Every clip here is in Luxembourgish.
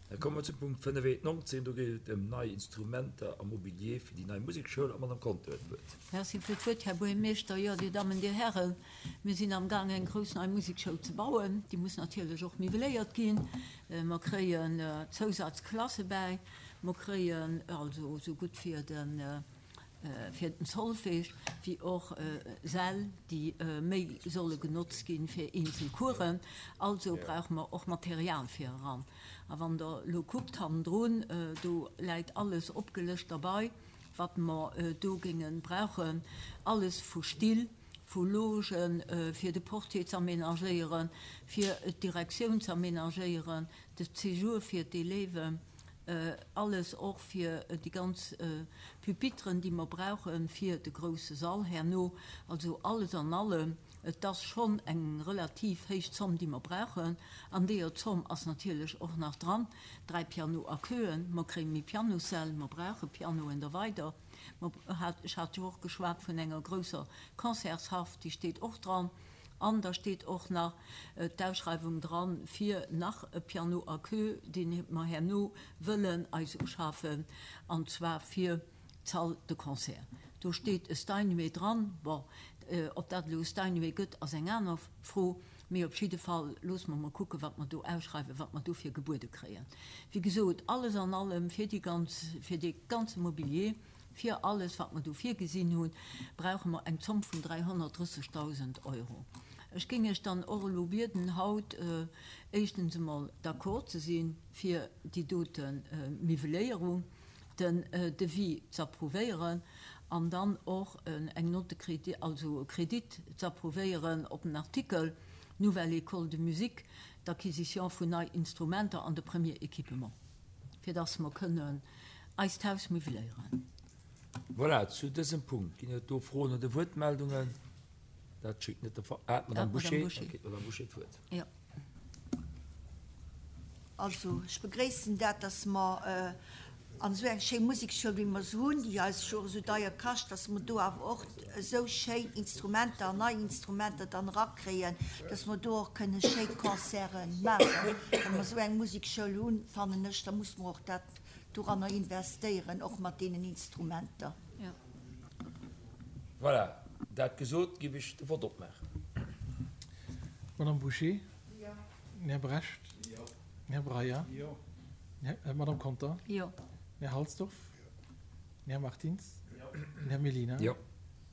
Da komme mer zum Punkt 5.19. Do geet et ëm nei Instrumenter a Mobilier fir déi nei Musekschoul. A Madame Conter huet d'Wuert. Merci fir d'Wuert, Här Buergermeeschter. Jo, Dir Dammen, Dir Hären, mir sinn amgaang eng grouss nei Musekschoul ze bauen. Déi muss natierlech och miwweléiert ginn. Mer kréien Zousazklasse bäi. Mer kréien also esou gutt fir den fir den Solfège, wéi och Säll, déi méi solle genotzt ginn fir eenzel Coursen. Also brauche mer och Material fir eran. A wann Der elo kuckt hannendrun, do läit alles opgelëscht derbei, wat mer do géinge brauchen, alles vu Still, vu Logen, fir de Portier z'aménagéieren, fir d'Direktioun z'aménagéieren, de Séjour fir d'Élèven, alles och fir déi ganz Pupitren, déi mer brauche fir de grouse Sall herno. Also alles an allem, et ass schonn eng relativ héich Zomm, déi mer brauchen. An deeër Zomm ass natierlech och nach dran 3 Piano à queuen. Mer kréie méi Pianossäll, mer brauche Pianoen da weider. Mer hat, ech hat jo och geschwat vun enger grousser Concertshaff, déi steet och dran. An da steet och nach d'Ausschreiwung dran fir nach e Piano à queue, dee mer herno wëllen eis uschafen, an zwar fir d'Salle de concert. Do steet e Steinway dran. Bon, ob dat elo e Steinway gëtt, ass eng aner Fro. Mee op jidde Fall loosse mer mol kucken, wat mer do ausschreiwen, wat mer dofir gebuede kréien. Wéi gesot, alles an allem fir déi ganz, fir dee ganze Mobilier, Fir alles, wat mer do virgesinn hunn, brauche mer eng Zomm vun 330.000 Euro. Ech géing Iech dann och elo bieden, haut éischtens emol d'accord ze si fir déi dote Miwweléierung, den Devis z'approuvéieren an dann och eng Note de crédit, also e Kredit z'approuvéieren op den Artikel Nouvelle École de musique, d'Acquisition vun nei Instrumenter an de Premier équipement, fir dass mer kënnen Eist Haus miwweléieren. Voilà, zu dësem Punkt ginn et do Froen oder Wuertmeldungen? Dat schéngt net de Fall. Ah, d'Madame Bouché. Da kritt d'Madame Bouché d'Wuert. Jo. Also, ech begréissen dat, dass mer an esou eng schéi Musekschoul, wéi mer se hunn, déi eis jo och esou deier kascht, dass mer do awer och esou schéin Instrumenter an nei Instrumenter dann erakréien, dass mer do och kënne schéi Concerte maachen. Wa mer esou eng Musekschoul hunn, fannen ech, da muss mer och dat doranner investéieren, och mat deenen Instrumenter. Voilà, dat gesot, géif ech de Vott opmaachen. Madame Bouché? Jo. Den Här Brecht? Jo. Den Här Breyer? Jo. D'Madame Conter? Jo. Den Här Halsdorf? Jo. Den Här Martins? Jo. Den Här Mellina? Jo.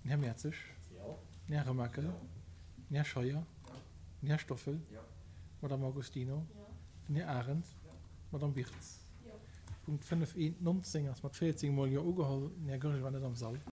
Den Här Mertzig? Jo. Den Här Remakel? Jo. Den Här Scheuer? Jo. Den Här Stoffel? Jo. D'Madame Agostino? Jo. Den Här Arendt? Jo. D'Madame Birtz? Punkt 5 1 19 ass mat 14 mol Jo ugeholl. Den Här Goergen war net am Sall.